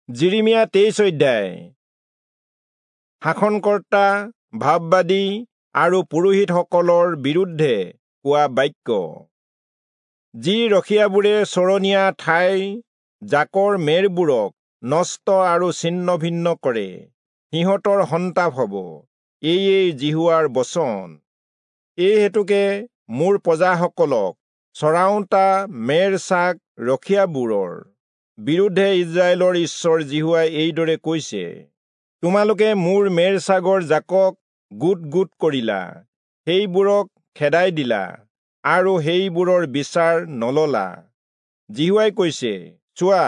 যিৰিমিয়া 23 অধ্যায়। শাসনকৰ্তা, ভাববাদী আৰু পুৰোহিতসকলৰ বিৰুদ্ধে কোৱা বাক্য। যি ৰখীয়াবোৰে চৰণীয়া ঠাই জাকৰ মেৰবোৰক নষ্ট আৰু ছিন্ন ভিন্ন কৰে, সিহঁতৰ সন্তাপ হ'ব। এয়েই যিহোৱাৰ বচন। এই হেতুকে মোৰ প্ৰজাসকলক চৰাওঁতা মেৰ ছাগ ৰখীয়াবোৰৰ বিৰুদ্ধে ইস্ৰায়েলৰ ঈশ্বৰ যিহোৱাই এইদৰে কৈছে, তোমালোকে মোৰ মেৰ ছাগৰ জাকক গোট গোট কৰিলা, সেইবোৰক খেদাই দিলা আৰু সেইবোৰৰ বিচাৰ নললা। যিহোৱাই কৈছে, চোৱা,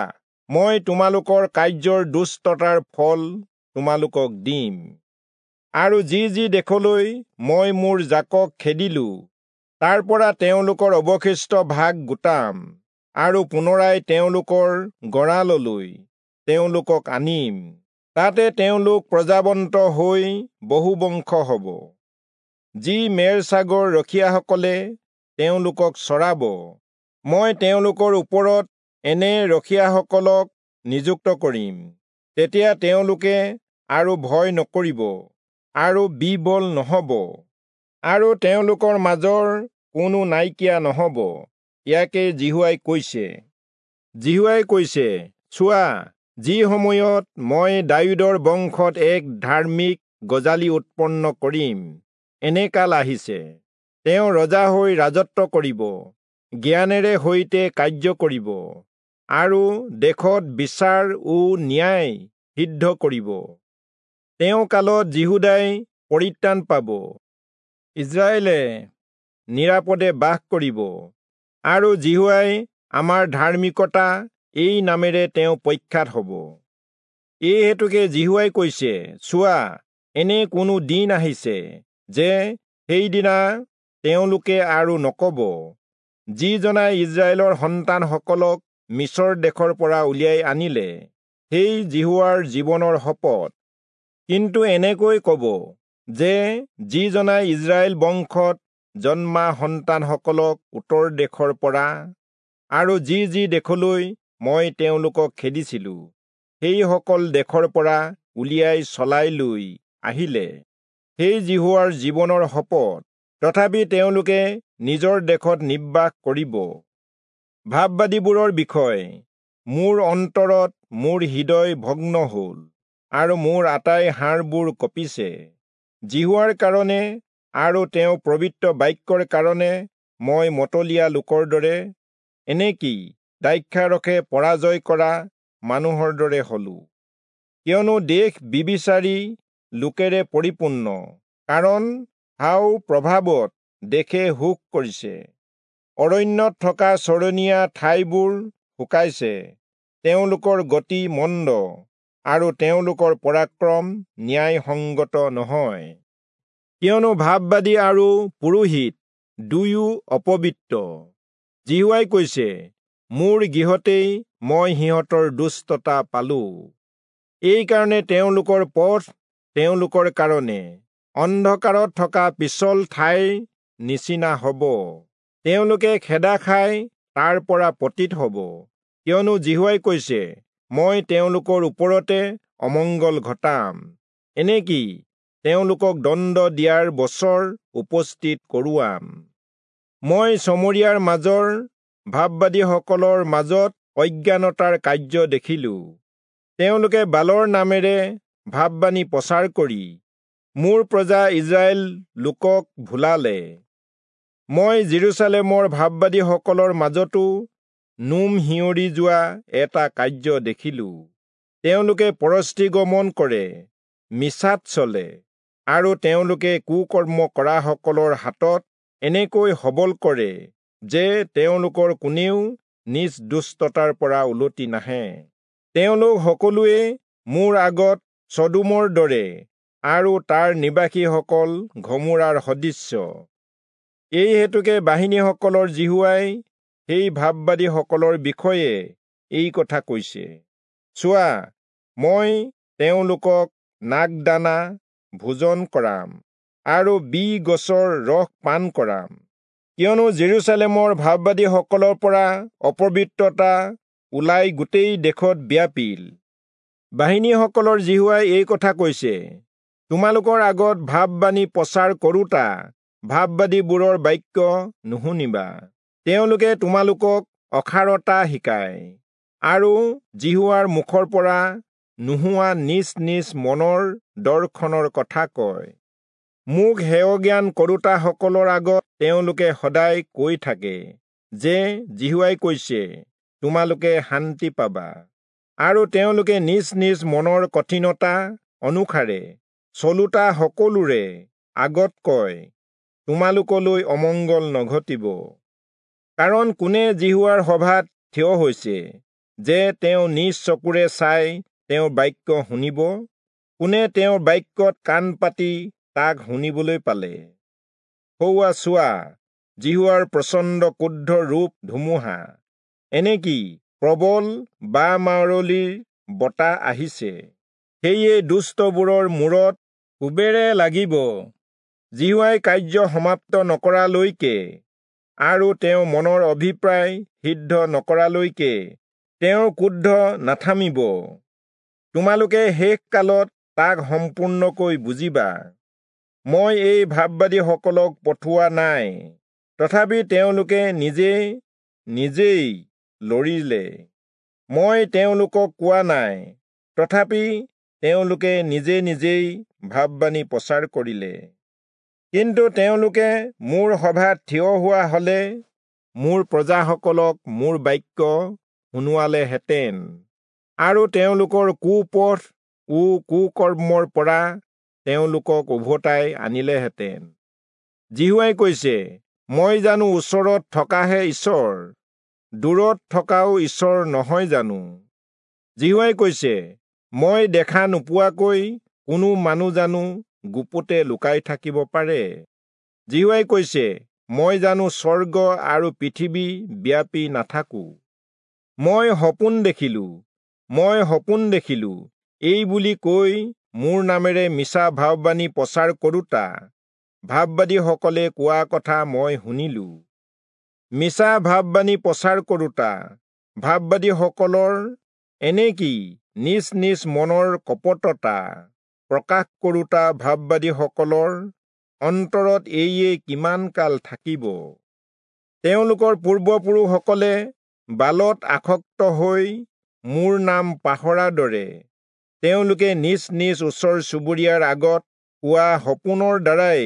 মই তোমালোকৰ কাৰ্যৰ দুষ্টতাৰ ফল তোমালোকক দিম। আৰু যি যি দেশলৈ মই মোৰ জাকক খেদিলো, তাৰ পৰা তেওঁলোকৰ অৱশিষ্ট ভাগ গোটাম আৰু পুনৰাই তেওঁলোকৰ গঁৰাললৈ তেওঁলোকক আনিম। তাতে তেওঁলোক প্ৰজাৱন্ত হৈ বহুবংশ হ'ব। যি মেৰ ছাগৰ ৰখীয়াসকলে তেওঁলোকক চৰাব, মই তেওঁলোকৰ ওপৰত এনে ৰখীয়াসকলক নিযুক্ত কৰিম। তেতিয়া তেওঁলোকে আৰু ভয় নকৰিব আৰু বিবল নহ'ব, আৰু তেওঁলোকৰ মাজৰ কোনো নাইকিয়া নহ'ব। ইয়াকে যিহোৱাই কৈছে। যিহোৱাই কৈছে, চোৱা, যি সময়ত মই দায়ূদৰ বংশত এক ধাৰ্মিক গজালি উৎপন্ন কৰিম, এনে কাল আহিছে। তেওঁ ৰজা হৈ ৰাজত্ব কৰিব, জ্ঞানেৰে সৈতে কাৰ্য কৰিব, আৰু দেশত বিচাৰ ও ন্যায় সিদ্ধ কৰিব। তেওঁ কালত যিহূদাই পৰিত্ৰাণ পাব, ইস্ৰায়েলে নিৰাপদে বাস কৰিব, আৰু যিহোৱাই আমাৰ ধাৰ্মিকতা এই নামেৰে তেওঁ প্ৰখ্যাত হ'ব। এই হেতুকে যিহোৱাই কৈছে, চোৱা, এনে কোনো দিন আহিছে যে সেইদিনা তেওঁলোকে আৰু নক'ব, যিজনাই ইস্ৰায়েলৰ সন্তানসকলক মিচৰ দেশৰ পৰা উলিয়াই আনিলে, সেই যিহোৱাৰ জীৱনৰ শপত। কিন্তু এনেকৈ ক'ব যে যিজনাই ইস্ৰায়েল বংশত জন্মা সন্তানসকলক উত্তৰ দেশৰ পৰা আৰু যি যি দেশলৈ মই তেওঁলোকক খেদিছিলো, সেইসকল দেশৰ পৰা উলিয়াই চলাই লৈ আহিলে, সেই যিহোৱাৰ জীৱনৰ শপত। তথাপি তেওঁলোকে নিজৰ দেশত নিবাস কৰিব। ভাববাদীবোৰৰ বিষয় মোৰ অন্তৰত মোৰ হৃদয় ভগ্ন হ'ল, আৰু মোৰ আটাই হাড়বোৰ কঁপিছে। যিহোৱাৰ কাৰণে আৰু তেওঁ পবিত্ৰ বাক্যৰ কাৰণে মই মতলীয়া লোকৰ দৰে, এনেকি দ্ৰাক্ষাৰসে পৰাজয় কৰা মানুহৰ দৰে হলো। কিয়নো দেশ বিবিচাৰী লোকেৰে পৰিপূৰ্ণ, কাৰণ হাও প্ৰভাৱত দেশে সুখ কৰিছে। অৰণ্যত থকা চৰণীয়া ঠাইবোৰ শুকাইছে, তেওঁলোকৰ গতি মন্দ, আৰু তেওঁলোকৰ পৰাক্ৰম ন্যায়সংগত নহয়। কিয়নো ভাববাদী আৰু পুৰোহিত দুয়ো অপবিত্ৰ। যিহোৱাই কৈছে, মোৰ গৃহতেই মই সিহঁতৰ দুষ্টতা পালো। এইকাৰণে তেওঁলোকৰ পথ তেওঁলোকৰ কাৰণে অন্ধকাৰত থকা পিছল ঠাইৰ নিচিনা হ'ব। তেওঁলোকে খেদা খাই তাৰ পৰা পতিত হ'ব। কিয়নো যিহোৱাই কৈছে, মই তেওঁলোকৰ ওপৰতে অমংগল ঘটাম, এনেকি তেওঁলোকক দণ্ড দিয়াৰ বছৰ উপস্থিত কৰোৱাম। মই চমৰীয়াৰ মাজৰ ভাববাদীসকলৰ মাজত অজ্ঞানতাৰ কাৰ্য দেখিলো। তেওঁলোকে বালৰ নামেৰে ভাববাণী প্ৰচাৰ কৰি মোৰ প্ৰজা ইস্ৰায়েল লোকক ভুলালে। মই যিৰূচালেমৰ ভাববাদীসকলৰ মাজতো নোম শিয়ৰি যোৱা এটা কাৰ্য দেখিলো। তেওঁলোকে পৰস্ত্ৰীগমন কৰে, মিছাত চলে, আৰু তেওঁলোকে কুকৰ্ম কৰাসকলৰ হাতত এনেকৈ সবল কৰে যে তেওঁলোকৰ কোনেও নিজ দুষ্টতাৰ পৰা উলটি নাহে। তেওঁলোক সকলোৱে মোৰ আগত চদোমৰ দৰে, আৰু তাৰ নিবাসীসকল ঘমোৰাৰ সদৃশ্য। এই হেতুকে বাহিনীসকলৰ যিহোৱাই সেই ভাববাদীসকলৰ বিষয়ে এই কথা কৈছে, চোৱা, মই তেওঁলোকক নাগদানা ভোজন কৰাম আৰু বি গছৰ ৰস পান কৰাম। কিয়নো যিৰূচালেমৰ ভাববাদীসকলৰ পৰা অপবিত্ৰতা ওলাই গোটেই দেশত ব্যাপিল। বাহিনীসকলৰ যিহোৱাই এই কথা কৈছে, তোমালোকৰ আগত ভাববাণী প্ৰচাৰ কৰোঁতা ভাববাদীবোৰৰ বাক্য নুশুনিবা। তেওঁলোকে তোমালোকক অসাৰতা শিকায় আৰু যিহোৱাৰ মুখৰ পৰা নোহোৱা নিজ নিজ মনৰ দৰ্শনৰ কথা কয়। মোক হেয়জ্ঞান কৰোঁতাসকলৰ আগত তেওঁলোকে সদায় কৈ থাকে যে যিহোৱাই কৈছে, তোমালোকে শান্তি পাবা। আৰু তেওঁলোকে নিজ নিজ মনৰ কঠিনতা অনুসাৰে চলোতা সকলোৰে আগত কয়, তোমালোকলৈ অমংগল নঘটিব। কাৰণ কোনে যিহোৱাৰ সভাত থিয় হৈছে যে তেওঁ নিজ চকুৰে চাই তেওঁৰ বাক্য শুনিব? কোনে তেওঁৰ বাক্যত কাণ পাতি তাক শুনিবলৈ পালে? সৌৱা চোৱা, যিহোৱাৰ প্ৰচণ্ড ক্ৰোধ ৰূপ ধুমুহা, এনেকি প্ৰবল বা-মাৰলিৰ বতাহ আহিছে। সেয়ে দুষ্টবোৰৰ মূৰত কোবেৰে লাগিব। যিহোৱাই কাৰ্য সমাপ্ত নকৰালৈকে আৰু তেওঁ মনৰ অভিপ্ৰায় সিদ্ধ নকৰালৈকে তেওঁৰ ক্ৰোধ নাথামিব। তোমালোকে শেষ কালত তাক সম্পূৰ্ণকৈ বুজিবা। মই এই ভাববাদীসকলক পঠোৱা নাই, তথাপি তেওঁলোকে নিজে নিজেই লৰিলে। মই তেওঁলোকক কোৱা নাই, তথাপি তেওঁলোকে নিজে নিজেই ভাববাণী প্ৰচাৰ কৰিলে। কিন্তু তেওঁলোকে মোৰ সভাত থিয় হোৱা হলে মোৰ প্ৰজাসকলক মোৰ বাক্য শুনোৱালেহেঁতেন আৰু তেওঁলোকৰ কুপথ ও কুকৰ্মৰ পৰা তেওঁলোকক উভতাই আনিলেহেঁতেন। যিহোৱাই কৈছে, মই জানো ওচৰত থকাহে ঈশ্বৰ, দূৰত থকাও ঈশ্বৰ নহয় জানো? যিহোৱাই কৈছে, মই দেখা নোপোৱাকৈ কোনো মানুহ জানো গুপুতে লুকাই থাকিব পাৰে? যিহোৱাই কৈছে, মই জানো স্বৰ্গ আৰু পৃথিৱী ব্যাপী নাথাকো? মই সপোন দেখিলো, মই সপোন দেখিলো, এই বুলি কৈ মোৰ নামেৰে মিছা ভাববাণী প্ৰচাৰ কৰোঁতা ভাববাদীসকলে কোৱা কথা মই শুনিলো। মিছা ভাববাণী প্ৰচাৰ কৰোঁতা ভাববাদীসকলৰ এনেকি নিজ নিজ মনৰ কপটতা প্ৰকাশ কৰোঁতা ভাববাদীসকলৰ অন্তৰত এইয়ে কিমান কাল থাকিব? তেওঁলোকৰ পূৰ্বপুৰুষসকলে বালত আসক্ত হৈ মোৰ নাম পাহৰাৰ দৰে তেওঁলোকে নিজ নিজ ওচৰ চুবুৰীয়াৰ আগত কোৱা সপোনৰ দ্বাৰাই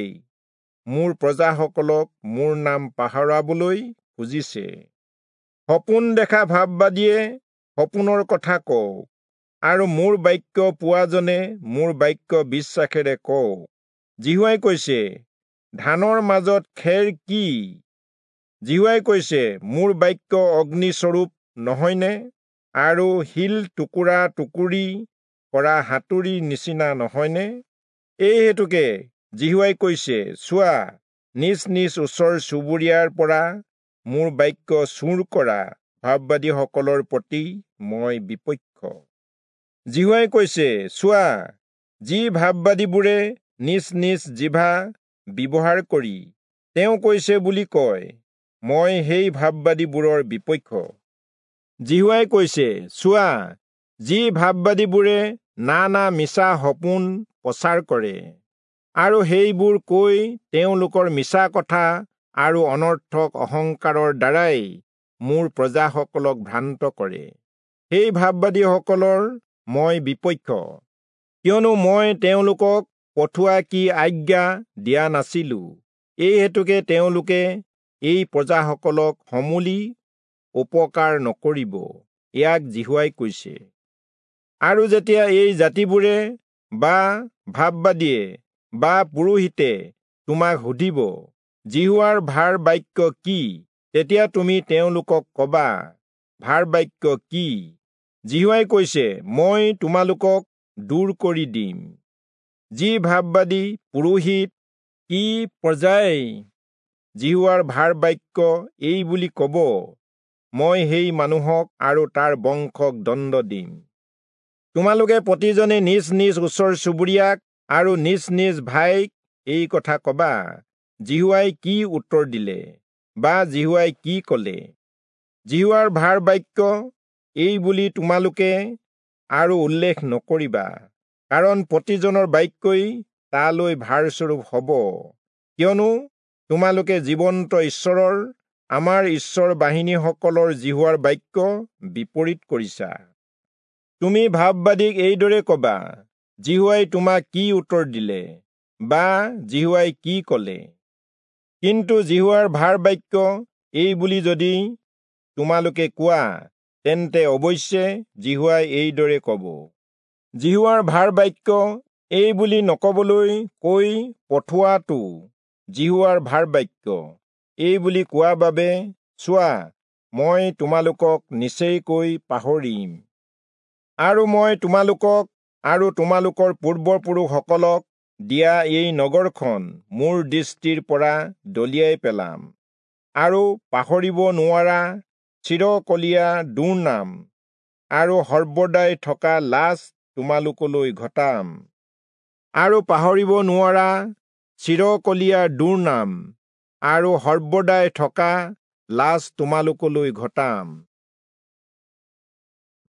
মোৰ প্ৰজাসকলক মোৰ নাম পাহৰাবলৈ খুজিছে। সপোন দেখা ভাববাদীয়ে সপোনৰ কথা কওক আৰু মোৰ বাক্য পোৱাজনে মোৰ বাক্য বিশ্বাসেৰে কওক। যিহোৱাই কৈছে, ধানৰ মাজত খেৰ কি? যিহোৱাই কৈছে, মোৰ বাক্য অগ্নিস্বৰূপ নহয়নে আৰু শিল টুকুৰা টুকুৰি কৰা হাতুৰীৰ নিচিনা নহয়নে? এই হেতুকে যিহোৱাই কৈছে, চোৱা, নিজ নিজ ওচৰ চুবুৰীয়াৰ পৰা মোৰ বাক্য চুৰ কৰা ভাববাদীসকলৰ প্ৰতি মই বিপক্ষ। যিহোৱাই কৈছে, চোৱা, যি ভাববাদীবোৰে নিজ নিজ জিভা ব্যৱহাৰ কৰি তেওঁ কৈছে বুলি কয়, মই সেই ভাববাদীবোৰৰ বিপক্ষ। যিহোৱাই কৈছে, চোৱা, যি ভাববাদীবোৰে নানা মিছা সপোন প্ৰচাৰ কৰে আৰু সেইবোৰ কৈ তেওঁলোকৰ মিছা কথা আৰু অনৰ্থক অহংকাৰৰ দ্বাৰাই মোৰ প্ৰজাসকলক ভ্ৰান্ত কৰে, সেই ভাববাদীসকলৰ মই বিপক্ষ। কিয়নো মই তেওঁলোকক পঠোৱা কি আজ্ঞা দিয়া নাছিলো, এই হেতুকে তেওঁলোকে এই প্ৰজাসকলক সমূলি উপকাৰ নকৰিব, ইয়াক যিহোৱাই কৈছে। আৰু যেতিয়া এই জাতিবোৰে বা ভাববাদীয়ে বা পুৰোহিতে তোমাক সুধিব, যিহোৱাৰ ভাৰ বাক্য কি? তেতিয়া তুমি তেওঁলোকক কবা, ভাৰ বাক্য কি? যিহোৱাই কৈছে, মই তোমালোকক দূৰ কৰি দিম। যি ভাববাদী, পুৰোহিত কি প্ৰজাই যিহোৱাৰ ভাৰ বাক্য এই বুলি কব, মই সেই মানুহক আৰু তাৰ বংশক দণ্ড দিম। তোমালোকে প্ৰতিজনে নিজ নিজ ওচৰ চুবুৰীয়াক আৰু নিজ নিজ ভাইক এই কথা কবা, যিহোৱাই কি উত্তৰ দিলে বা যিহোৱাই কি কলে? যিহোৱাৰ ভাৰ বাক্য এই বুলি তোমালোকে আৰু উল্লেখ নকৰিবা, কাৰণ প্ৰতিজনৰ বাক্যই তালৈ ভাৰস্বৰূপ হ'ব। কিয়নো তোমালোকে জীৱন্ত ঈশ্বৰৰ, আমাৰ ঈশ্বৰ বাহিনীসকলৰ যিহোৱাৰ বাক্য বিপৰীত কৰিছা। তুমি ভাববাদীক এইদৰে কবা, যিহোৱাই তোমাক কি উত্তৰ দিলে, বা যিহোৱাই কি কলে? কিন্তু যিহোৱাৰ ভাৰ বাক্য এই বুলি যদি তোমালোকে কোৱা, তেন্তে অৱশ্যে যিহোৱাই এইদৰে কব। যিহোৱাৰ ভাৰ বাক্য এই বুলি নকবলৈ কৈ পঠোৱাটো যিহোৱাৰ ভাৰ বাক্য এই বুলি কোৱা বাবে, চোৱা, মই তোমালোকক নিচেইকৈ পাহৰিম, আৰু মই তোমালোকক আৰু তোমালোকৰ পূৰ্বপুৰুষসকলক দিয়া এই নগৰখন মোৰ দৃষ্টিৰ পৰা দলিয়াই পেলাম, আৰু পাহৰিব নোৱাৰা চিৰকলীয়া দুৰ্নাম আৰু সৰ্বদাই থকা লাজ তোমালোকলৈ ঘটাম, আৰু পাহৰিব নোৱাৰা চিৰকলীয়া দুৰ্নাম আৰু সৰ্বদাই থকা লাজ তোমালোকলৈ ঘটাম।